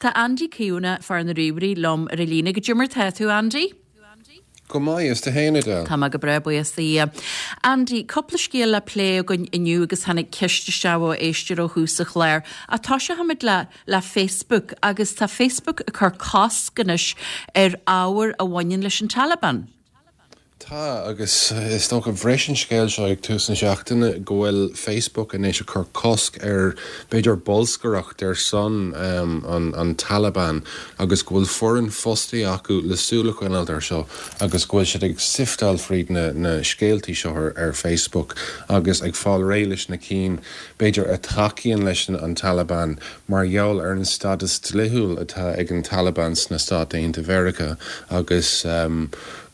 Tá Andy Keown, fear na ríomhairí, liom ar an líne. Goidé mar tá tú, Andy? Go maith, is tú fhéin, Edel? Tá mé go breá, buíochas do Dhia. Andy, cúpla scéal le plé againn inniu agus tháinig ceist isteach ó éisteoir ó thús an chláir. Ach toiseochaimid le le Facebook agus tá Facebook ag cur cosc anois ar ábhar a bhaineann leis an Taliban. Tá, agus is dócha, bhris an scéal seo ag tús na seachtaine go bhfuil Facebook anois ag cur cosc ar, b'fhéidir, bolscaireacht ar son an Taliban agus go bhfuil foireann fostaithe acu le súil a choinneáilt air seo agus go bhfuil siad ag sifteáil fríd na scéaltaí seo ar Facebook agus ag fáil réidh leis na cinn, b'fhéidir, a thacaíonn leis an Taliban mar gheall ar an stadas dlíthiúil atá ag an Taliban sna Stáit Aontaithe Mheiriceá agus.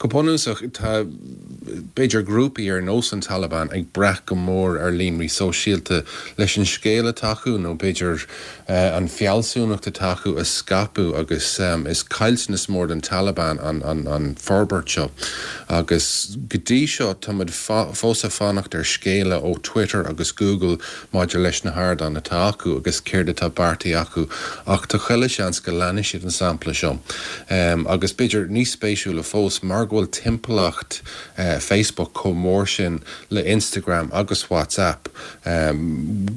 Go bunúsach, tá, b'fhéidir, grúpaí ar nós an Taliban ag brath go mór ar líonraí sóisialta leis an scéal atá acu nó b'fhéidir an fealsúnacht atá acu a scaipeadh agus is caillteanas mór don Taliban an forbairt seo. Agus go dtí seo táimid fós ag fanacht ar scéala ó Twitter agus Google maidir leis na hardáin atá acu agus céard atá beartaithe acu ach tá chuile sheans go leanfaidh siad an sampla seo. Agus b'fhéidir níos spéisiúla fós, mar go bhfuil timpeallacht Facebook chomh mór sin le Instagram agus WhatsApp,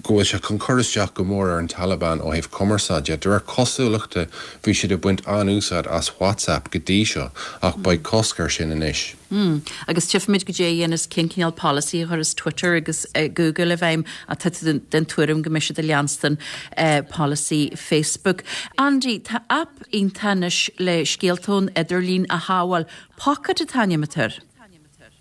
go bhfuil sé chun cur isteach go mór ar an Taliban ó thaobh cumarsáide. De réir cosúlachta bhí siad ag baint an-úsáid as WhatsApp go dtí seo ach beidh cosc air sin anois. Mm. Agus tchífimid goidé a dhéanas cén cineál polasaí a chuireas Twitter agus Google i bhfeidhm ach tá tú den tuairim go mbeidh siad ag leanstan polasaí Facebook. Andy, tá aip iontach anois le scéalta ón idirlíon a shábháil. Pocket an t-ainm atá air.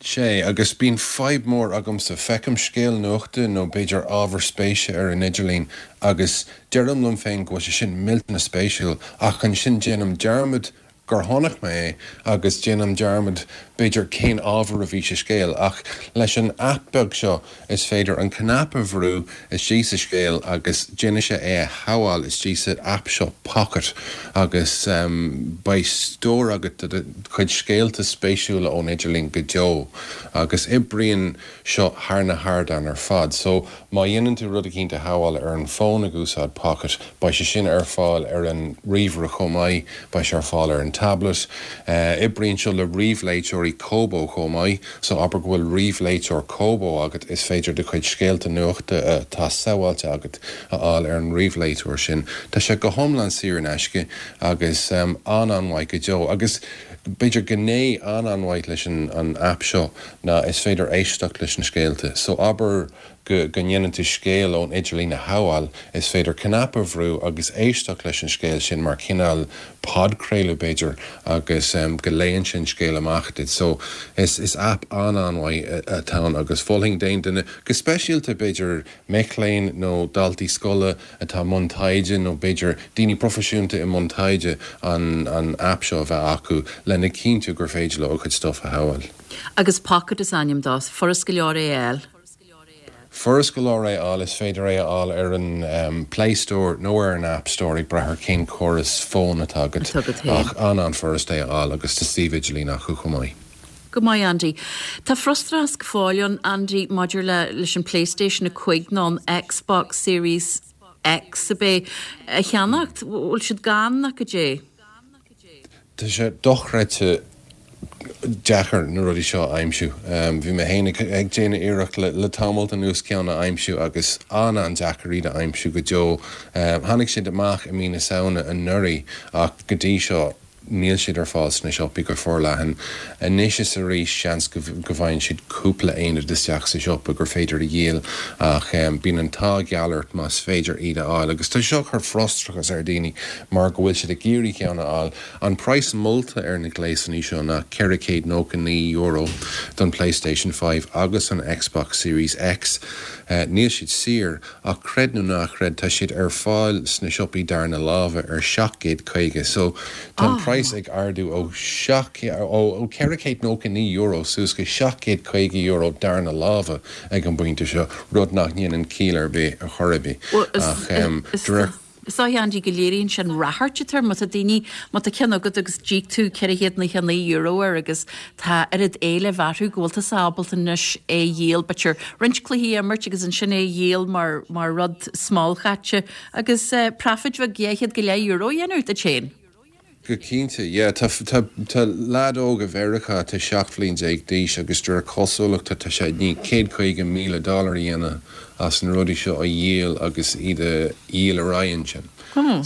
Sea, agus bíonn fadhb mór agamsa. Feicim scéal nuachta nó b'fhéidir ábhar spéise ar an idirlíon agus deirim liom féin go bhfuil sé sin millteanach spéisiúil ach ansin déanaim dearmad gur chonaic mé é agus déanaim dearmad b'fhéidir cén ábhar a bhí sa scéal ach leis an aip beag seo is féidir an cnaipe a bhrú istigh sa scéal agus déanfaidh sé é a shabháil istigh sa aip seo Pocket agus beidh stór agat de do chuid scéalta spéisiúla ón idirlíon go deo agus oibríonn seo thar na hardáin ar fad so Má dhéanann tú rud eicínt a shabháil ar an bhfón ag úsáid Pocket, beidh sé sin ar fáil ar an ríomhaire chomh maith, beidh sé ar fáil ar an tablet. Oibríonn seo le ríomhléiteoirí Kobo chomh maith, so abair go bhfuil ríomhléiteoir Kobo agat, is féidir do chuid scéalta nuachta atá sabháilte agat a fháil ar an ríomhléiteoir sin. Tá sé go hiomlán saor in aisce agus an-an-mhaith go deo. Agus b'fhéidir gné an-an-mhaith leis an aip seo ná is féidir éisteacht leis na scéalta. So abair go go ndéanann tú scéal ón idirlíon a shabháil, is féidir cnaipe a bhrú agus éisteacht leis an scéal sin mar chineál podchraoladh b'fhéidir agus go léann sé an scéal amach duit. So is is aip an-an-mhaith atá ann agus mholfainn d'aon duine, go speisialta b'fhéidir mic léinn nó daltaí scoile atá i mbun taighde nó b'fhéidir daoine proifisiúnta i mbun taighde an an aip seo a bheith acu lena chinntiú gur féidir leo a gcuid stuff a shabháil. Agus Pocket is ainm dó. Furast go leor é a fháil. Furast go leor é a fháil, is féidir é a fháil ar an Play Store nó ar an App Store ag brath ar cén córas fóin atá agat, ach an-an-fhurast é a fháil agus tá suíomh idirlín acu chomh maith. Go maith Andy. Tá frustrachas go fóill ann Andy maidir le leis an Playstation 5 nó an Xbox Series X ab é a cheannacht. Bhfuil siad gann nó goidé? Tá sé dochreidte deacair na rudaí seo a aimsiú. Bhí mé féin ag déanamh iarracht le tamalt anuas ceann a aimsiú agus an-an-deacair iad a aimsiú go deo. Tháinig siad amach i mí na Samhna anuraidh ach go dtí seo níl siad ar fáil sna siopaí go forleathan. Anois is arís seans go bhfaigheann siad cúpla aonad isteach sa siopa gur féidir a dhíol ach bíonn an t-ádh geal ort más féidir iad a fháil agus tá seo ag cur frustrachas ar dhaoine mar go bhfuil siad ag iarraidh ceann a fháil. An praghas molta ar na gléasanna seo ná €499 don PlayStation 5 agus an Xbox Series X. Níl siad saor Ach creid nó ná creid, tá siad ar fáil sna siopaí darna láimhe ar 750. So, tá an praghas ag ardú ó ó €499 suas go €750 darna láimhe ag an bpointe seo, rud nach ndéanann ciall ar bith ar chor ar bith. Ach de réir. Is dóigh, Andy, go léiríonn sin ráchairt atá air, má tá daoine, má tá ceann agat agus d'íoc tú €499 air agus tá oiread éilimh orthu go bhfuil tusa ábalta anois é a dhíol, b'fhéidir roinnt cluichí a imirt agus ansin é a dhíol mar, mar rud smálchaite agus profit bheag 200 go leith euro a dhéanamh duit féin. Go cinnte, yeah. Tá, tá, tá leaid óg i Mheiriceá atá 17 bhliain d'aois agus de réir cosúlachta tá sé i ndiaidh 150,000 dollar a dhéanamh as na rudaí seo a dhíol agus iad a dhíol ar aghaidh ansin.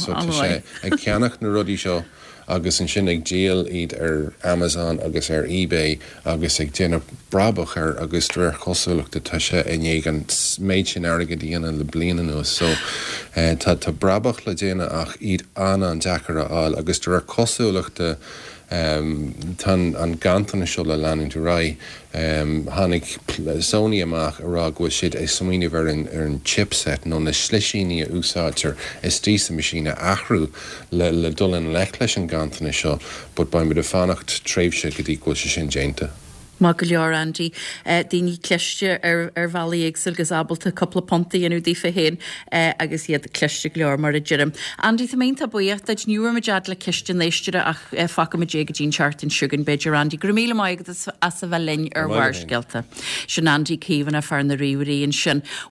So tá sé ag ceannach na rudaí seo agus ansin ag díol iad ar Amazon agus ar eBay agus ag déanamh brabach air agus de réir cosúlachta tá sé i ndiaidh an méid sin airgid a dhéanamh le bliain anuas so tá tá brabach le déanamh ach iad an-an-deacair a fháil agus de réir cosúlachta tá an ganntanas seo le leanúint ar aghaidh. Tháinig Sony amach ag rá go bhfuil siad ag smaoineamh ar an ar an chipset nó na slisíní a úsáidtear istigh sa machine a athrú le le dul i ngleic leis an ganntanas seo but beidh muid ag fanacht tréimhse go dtí go bhfuil sé sin déanta. Maith go leor, Andy. Daoine cliste ar ar bhealaí éagsúla agus ábalta cúpla punt a dhéanamh daofa féin agus iad cliste go leor mar a deirim. Andy, tá mé iontach buíoch duit. Ní bhfuair muid fhad le ceist an éisteora ach fágfaidh muid é go dtí an tseachtain seo chugainn b'fhéidir, Andy. Go raibh míle maith agat as a bheith linn ar Bharrscéalta. Sin Andy Caomhánach, fear na ríomhairí ansin.